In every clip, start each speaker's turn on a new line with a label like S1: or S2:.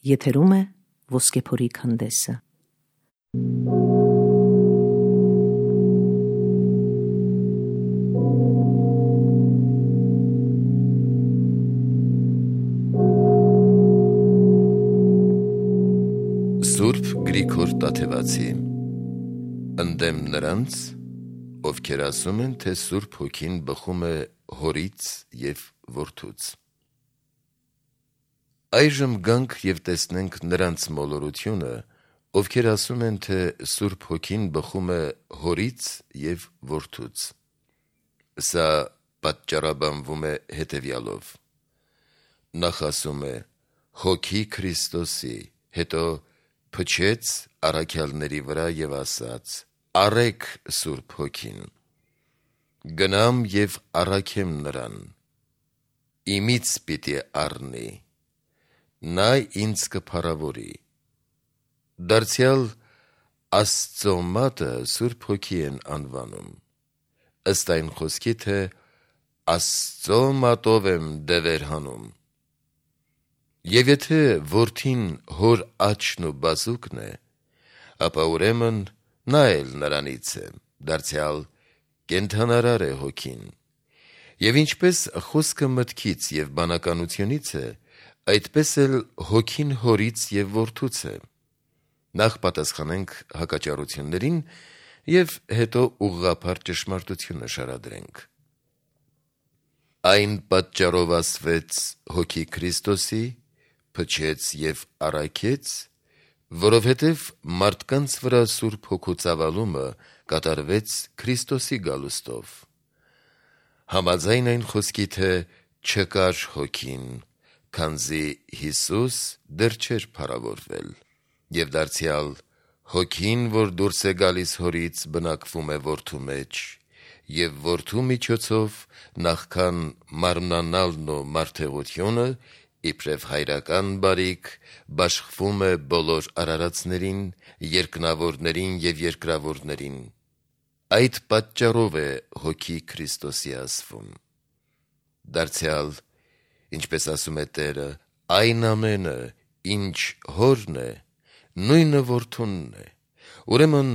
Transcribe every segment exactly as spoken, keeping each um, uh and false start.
S1: Եթերում է Ոսկեփորի քանդեսը։
S2: Սուրբ Գրիգոր Տաթևացի ընդդեմ նրանց, ովքեր ասում են, թե Սուրբ Հոգին բխում է Հորից և Որդուց։ Այժմ գանք և տեսնենք նրանց մոլորությունը, ովքեր ասում են, թե Սուրբ Հոգին բխում է Հորից և Որդուց։ Սա պատճառաբանվում է հետևյալով. նախ ասում է Հոգի Քրիստոսի, հետո փչեց առաքյալների վրա և ասաց. «Առեք Սուրբ Հոգին, գնամ և առաքեմ նրան, իմից պիտի առնի, նա ինձ կփառավորի»։ Դարձյալ Աստծո մատը Սուրբ Հոգի են անվանում, ըստ այն խոսքի, թե Աստծո մատով եմ դևեր հանում։ Եվ եթե Որդին Հոր աջն ու բազուկն է, ապա ուրեմն նա էլ նրանից է, դարձյալ կենդանարար է Հոգին։ Եվ ինչպես խոսքը մտքից և բանականությունից է, այդպես էլ Հոգին Հորից և Որդուց է։ Նախ պատասխանենք հակաճառություններին և հետո ուղղափառ ճշմարտությունը շարադրենք։ Այն պատճառով ասվեց Հոգի Քրիստոսի, փչեց և առաքեց, որովհետև մարդկանց վրա Սուրբ Հոգու ծավալումը կատարվեց Քրիստոսի գալուստով, համաձայն այն խոսքի, թե չկար Հոգին, քանզի Հիսուս դեռ չէր փառավորվել, և դարձյալ Հոգին, որ դուրս է գալիս Հորից, բնակվում է Որդու մեջ, և Որդու միջոցով նախքան մարմնանալն ու մարդեղությունը, իբրև հայրական բարիք, բաշխվում է բոլոր արարածներին, երկնավորներին և երկրավորներին։ Այդ պատճառով է Հոգի Քրիստոսի ասվում։ Դարձյալ, ինչպես ասում է Տերը, այն ամենը, ինչ Հորն է, նույնը Որդունն է։ Ուրեմն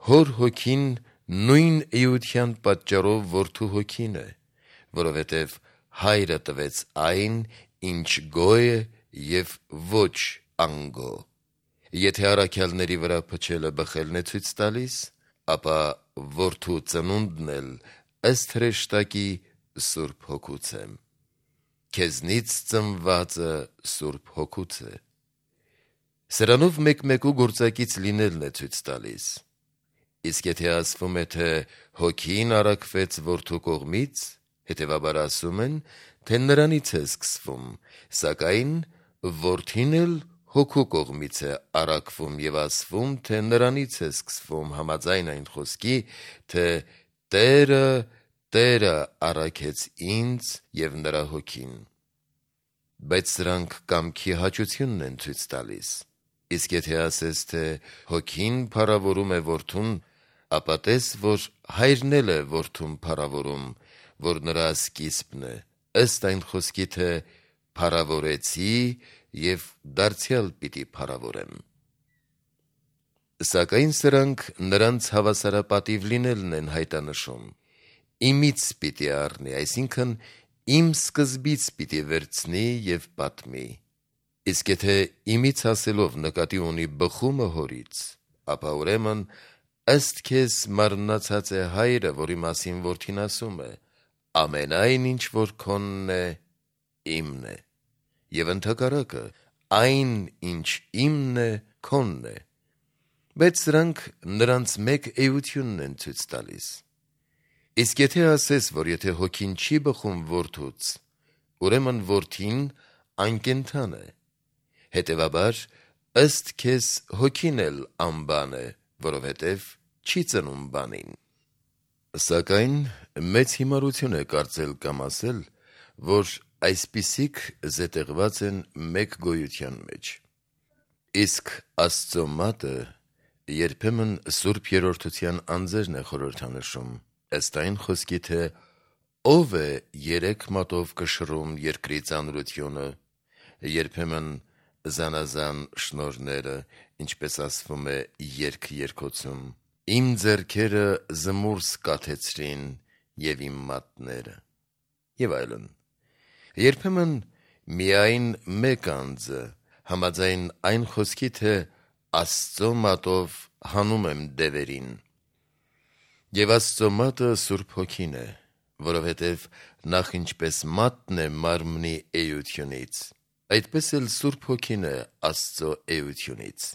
S2: Հոր Հոգին նույն էության պատճառով Որդու Հոգին է, որովհետև Հայրը տվեց այն, ինչ գոյ է և ոչ անգո։ Եթե առաքյալների վրա փչելը բխելն է ցույց տալիս, ապա Որդու ծնունդն էլ ըստ հրեշտակի Սուրբ Հոգուց է։ Քեզնից ծնվածը Սուրբ Հոգուց է։ Սրանով մեկմեկու գործակից լինելն է ցույց տալիս։ Իսկ եթե ասվում է, թե Հոգին առաքվեց Որդու կողմից, հետևաբար ասում են, թե նրանից է սկսվում, սակայն Որդին էլ Հոգու կողմից է առաքվում և ասվում, թե նրանից է սկսվում, համաձայն այն խոսքի, թե Տերը Տերը առաքեց ինձ և նրա Հոգին։ Բայց սրանք կամքի հաճությունն են ցույց տալիս։ Իսկ եթե ասես, թե Հոգին փառավորում է Որդուն, ապա տես, որ Հայրն էլ է Որդուն փառավորում, որ նրա սկիզբն է, ըստ այն խոսքի, թե «Փառավորեցի և դարձյալ պիտի փառավորեմ»։ Սակայն սրանք նրանց հավասարապատիվ լինելն են հայտանշում։ Իմից պիտի առնի, այսինքն իմ սկզբից պիտի վերցնի և պատմի։ Իսկ եթե իմից ասելով նկատի ունի բխումը Հորից, ապա ուրեմն ըստ քեզ մարմնացած է Հայրը, որի մասին Որդին ասում է. «Ամենայն ինչ որ քոնն է, իմն է», և ընդհակառակը, «Այն ինչ իմն է, քոնն է»։ Բայց սրանք նրանց մեկ էությունն են ցույց տալիս։ Իսկ եթե ասես, որ եթե Հոգին չի բխում Որդուց, ուրեմն Որդին անկենդան է, հետևաբար ըստ քեզ Հոգին էլ անբան է, որովհետև չի ծնում բանին։ Սակայն մեծ հիմարություն է կարծել կամ ասել, որ այսպիսիք զետեղված են մեկ գոյության մեջ։ Իսկ Աստծո մատը երբեմն Սուրբ Երրորդության անձերն է խորհրդանշում, ըստ այն խոսքի, թե «Ո՞վ է երեք մատով կշռում երկրի ծանրությունը», երբեմն զանազան շնորհները, ինչպես ասվում է երգ երկոցում. Իմ ձեռքերը զմուրս կաթեցրին եւ իմ մատները, եւ այլն։ Երբեմն միայն մեկ անձը համաձայն այն խոսքի, թե Աստծո մատով հանում եմ դևերին, եւ Աստծո մատը Սուրբ Հոգին է, որովհետև նախ ինչպես մատն է մարմնի էությունից, այդպես էլ Սուրբ Հոգին է Աստծո էությունից։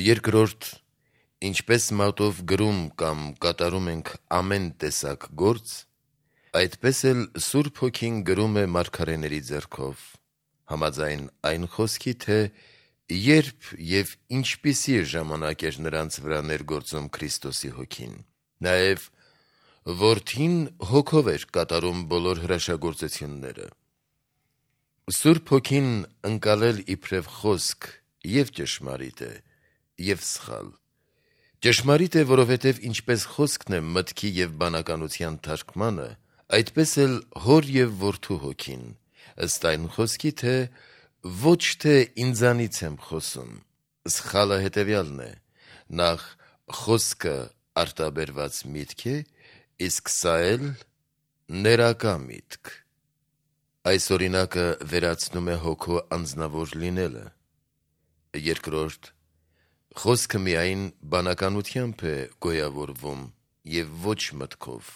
S2: Երկրորդ, ինչպես մատով գրում կամ կատարում ենք ամեն տեսակ գործ, այդպես էլ Սուրբ Հոգին գրում է մարգարեների ձեռքով, համաձայն այն խոսքի, թե երբ եւ ինչպիսի ժամանակ էր նրանց վրա ներգործում Քրիստոսի Հոգին, նաեւ Որդին Հոգով էր կատարում բոլոր հրաշագործությունները։ Սուրբ Հոգին ընկալել իբրև խոսք եւ ճշմարիտ է, եւ սխալ։ Ճշմարիտ է, որովհետև ինչպես խոսքն է մտքի եւ բանականության թարգմանը, այդպես էլ Հոր եւ Որդու Հոգին, ըստ այն խոսքի, թե ոչ թե ինձանից եմ խոսում։ Սխալը հետեւյալն է. նախ խոսքը արտաբերված միտք է, իսկ սա էլ ներակա միտք։ Այս օրինակը վերացնում է Հոգու անձնավոր լինելը։ Երկրորդ, խոսքը միայն բանականությամբ է գոյավորվում եւ ոչ մտքով։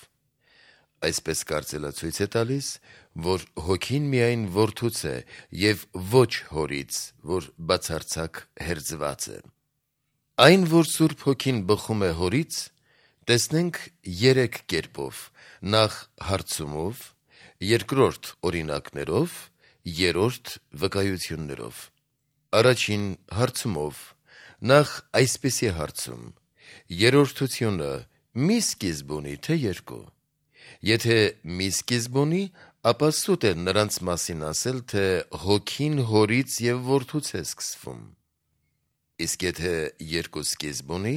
S2: Այսպես կարծելը ցույց է տալիս, որ Հոգին միայն Որդուց է եւ ոչ Հորից, որ բացարձակ հերձված է։ Այն, որ Սուրբ Հոգին բխում է Հորից, տեսնենք երեք կերպով. նախ հարցումով, երկրորդ օրինակներով, երրորդ վկայություններով։ Առաջին հարցումով. նախ այսպիսի հարցում. երրորդությունը մի սկիզբ ունի, թե երկու։ Եթե մի սկիզբ ունի, ապա սուտ է նրանց մասին ասել, թե Հոգին Հորից եւ Որդուց է սկսվում։ Իսկ եթե երկու սկիզբ ունի,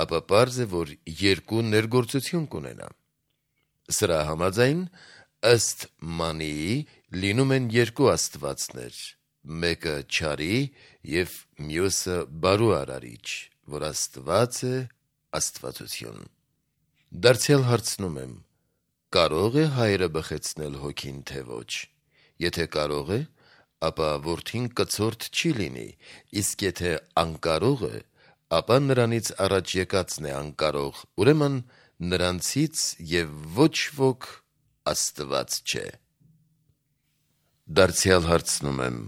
S2: ապա պարզ է, որ երկու ներգործություն կունենա։ Սրա համաձայն, ըստ Մանիի, լինում են երկու աստվածներ, մեկը չարի եւ մյուսը բարու արարիչ, որ Աստված է աստվածություն։ Դարձյալ հարցնում եմ. կարո՞ղ է Հայրը բխեցնել Հոգին, թե ոչ։ Եթե կարող է, ապա Որդին կցորդ չի լինի, իսկ եթե անկարող է, ապա նրանից առաջ եկածն է անկարող, ուրեմն նրանցից եւ ոչ ոք Աստված չէ։ Դարձյալ հարցնում եմ.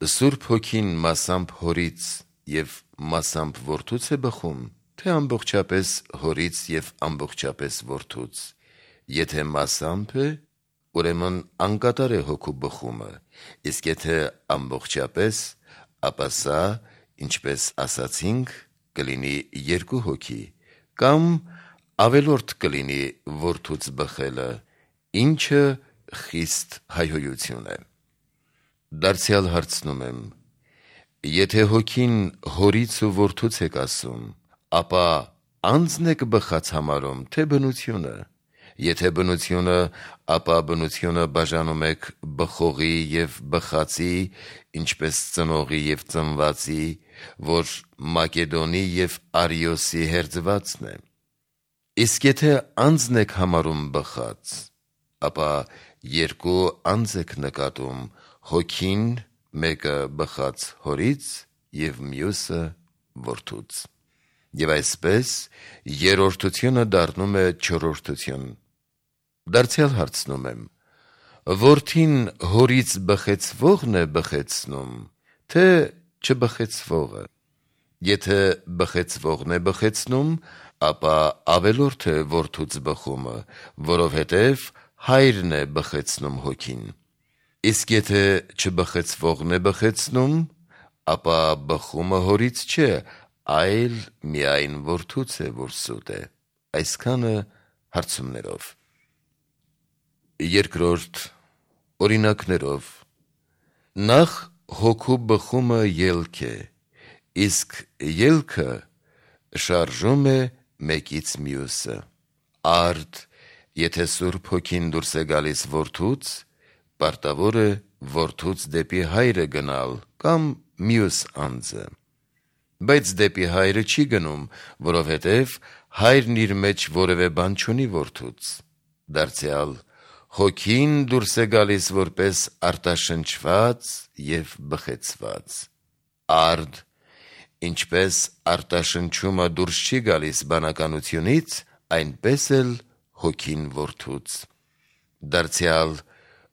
S2: Սուրբ Հոգին մասամբ Հորից եւ մասամբ Որդուց է բխում, թե ամբողջապես Հորից եւ ամբողջապես Որդուց։ Եթե մասամբ է, ուրեմն անկատար է Հոգու բխումը, իսկ եթե ամբողջապես, ապա սա, ինչպես ասացինք, կլինի երկու հոգի, կամ ավելորդ կլինի Որդուց բխելը, ինչը խիստ հայհոյություն է։ Դարձյալ հարցնում եմ. եթե Հոգին Հորից ու Որդուց եք ասում, ապա անձն եք բխած համարում, թե բնությունը։ Եթե բնությունը, ապա բնությունը բաժանում եք բխողի եւ բխածի, ինչպես ծնողի եւ ծնվածի, որ Մակեդոնի եւ Արիոսի հերձվածն է։ Իսկ եթե անձն եք համարում բխած, ապա երկու անձ եք նկատում, Հոգին, մեկը բխած Հորից եւ մյուսը Որդուց։ Եվ այսպես երրորդությունը դառնում է չորրորդություն։ Դարձյալ հարցնում եմ. Որդին Հորից բխեցվողն է բխեցնում, թե չբխեցվողը։ Եթե բխեցվողն է բխեցնում, ապա ավելորդ է Որդուց բխումը, որովհետև Հայրն է բխեցնում Հոգին։ Իսկ եթե չբխեցվողն է բխեցնում, ապա բխումը Հորից չէ, այլ միայն Որդուց է, որ սուտ է։ Այսքանը հարցումներով։ Երկրորդ օրինակներով. նախ Հոգու բխումը ելք է, իսկ ելքը շարժում է մեկից մյուսը։ Արդ, եթե Սուրբ Հոգին դուրս է գալիս Որդուց, պարտավոր է որդուց դեպի հայրը գնալ կամ մյուս անձը։ Բայց դեպի հայրը չի գնում, որովհետև հայրն իր մեջ որևէ բան չունի որդուց։ Դարձյալ հոգին դուրս է գալիս որպես արտաշնչված և բխեցված։ Արդ, ինչպես արտաշնչումը դուրս չի գալիս բանականությունից, այնպես էլ հոգին որդուց։ Դարձյալ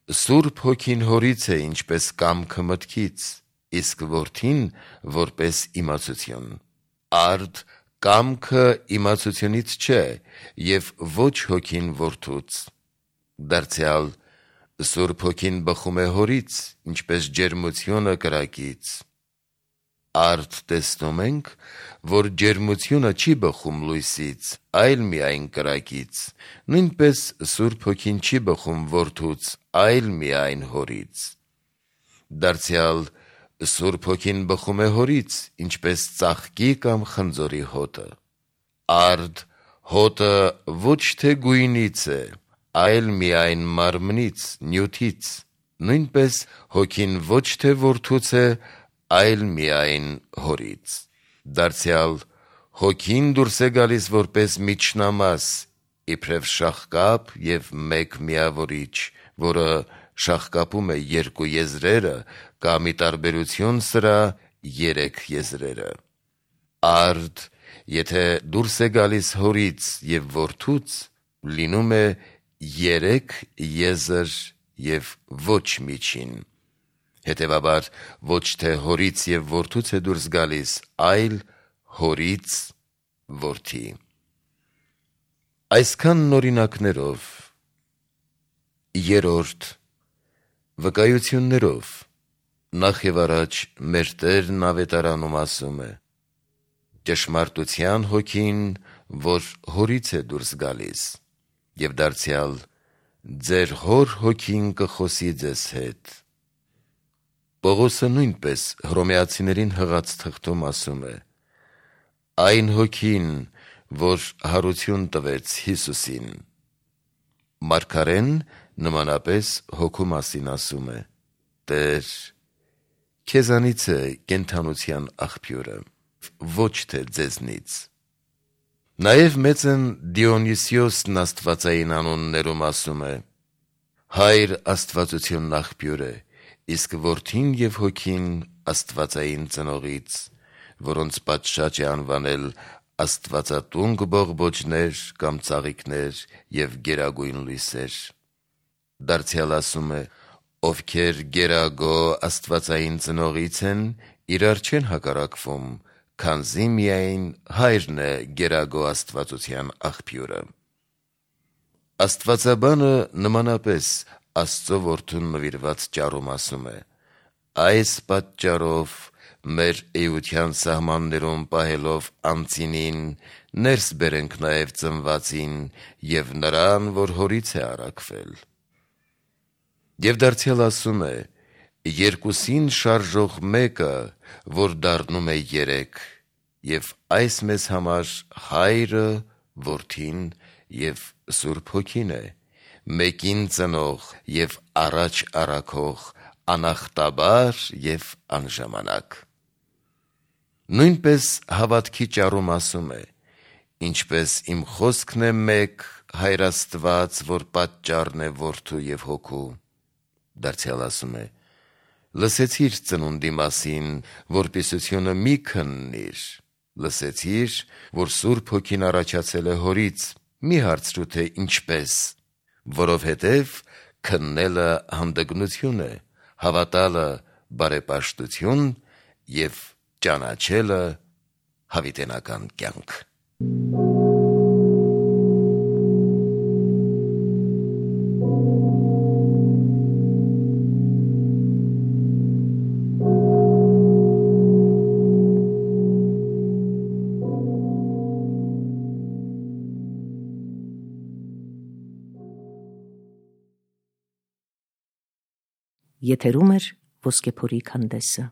S2: Սուրբ Հոգին հորից է ինչպես կամքը մտքից, իսկ որդին որպես իմացություն։ Արդ կամքը իմացությունից չէ և ոչ հոգին որդուց։ Դարձյալ Սուրբ Հոգին բխում է հորից, ինչպես ջերմությունը կրակից։ Արդ տեսնում ենք, որ ջերմությունը չի բխում լույսից, այլ միայն կրակից, նույնպես Սուրբ Հոգին չի բխում որդուց, այլ միայն հորից։ Դարձյալ Սուրբ Հոգին բխում է հորից, ինչպես ծաղկի կամ խնձորի հոտը։ Արդ հոտը ոչ թե գույնից է, այլ միայն մարմնից, նյութից, նույնպես հոգին ոչ թե որդուց է, այլ միայն հորից։ Դարձյալ հոգին դուրս է գալիս որպես միջնամաս, իբրև շաղկապ և մեկ միավորիչ, որը շաղկապում է երկու եզրերը կամ ի տարբերություն սրա երեք եզրերը։ Արդ, եթե դուրս է գալիս հորից և որդուց, լինում է երեք եզր և ոչ միջին։ Հետևաբար ոչ թե հորից և որդուց է դուրս գալիս, այլ հորից որդի։ Այսքանն օրինակներով։ Երրորդ, վկայություններով։ Նախ և առաջ մեր Տերն ավետարանում ասում է. «Ճշմարտության Հոգին, որ հորից է դուրս գալիս, և դարձյալ ձեր հոր Հոգին կխոսի ձեզ հետ»։ Պողոսը նույնպես Հռոմեացիներին հղած թղթում ասում է. «Այն Հոգին, որ հարություն տվեց Հիսուսին»։ Մարգարեն նմանապես հոգու մասին ասում է. «Տեր, քեզանից է կենդանության աղբյուրը, ոչ թե ձեզնից»։ Նաև մեծն Դիոնիսիոսն աստվածային անուններում ասում է. «Հայր աստվածությունն աղբյուր է, իսկ որդին և հոգին աստվածային ծնողից, որոնց պատշաճ է անվանել աստվածատունկ բողբոջներ կամ ծաղիկներ և գերագույն լույսեր»։ Դարձյալ ասում է. «Ովքեր գերագո աստվածային ծնողից են, իրար չեն հակառակվում, քանզի միայն Հայրն է գերագո աստվածության աղբյուրը»։ Աստվածաբանը նմանապես Աստծո Որդուն նվիրված ճառում ասում է. «Այս պատճառով մեր էության սահմաններում պահելով անծինին, ներս բերենք նաև ծնվածին և նրան, որ հորից է առաքվել»։ Եվ դարձյալ ասում է. «Երկուսին շարժող մեկը, որ դառնում է երեք, և այս մեզ համար Հայրը, Որդին և Սուրբ Հոգին է, մեկին ծնող և առաջ առաքող, անախտաբար և անժամանակ»։ Նույնպես հավատքի ճառում ասում է. «Ինչպես իմ խոսքն է մեկ, Հայր Աստված, որ պատճառն է Որդու և Հոգու»։ Դարձյալ ասում է. «Լսեցիր ծնունդի մասին, որպիսությունը մի քննիր, լսեցիր, որ Սուրբ Հոգին առաջացել է հորից, մի հարցրու, թե ինչպես, որովհետև քննելը հանդգնություն է, հավատալը բարեպաշտություն և ճանաչելը հավիտենական կյանք»։
S1: Եթերում է Ոսկեփորի քանդեսը։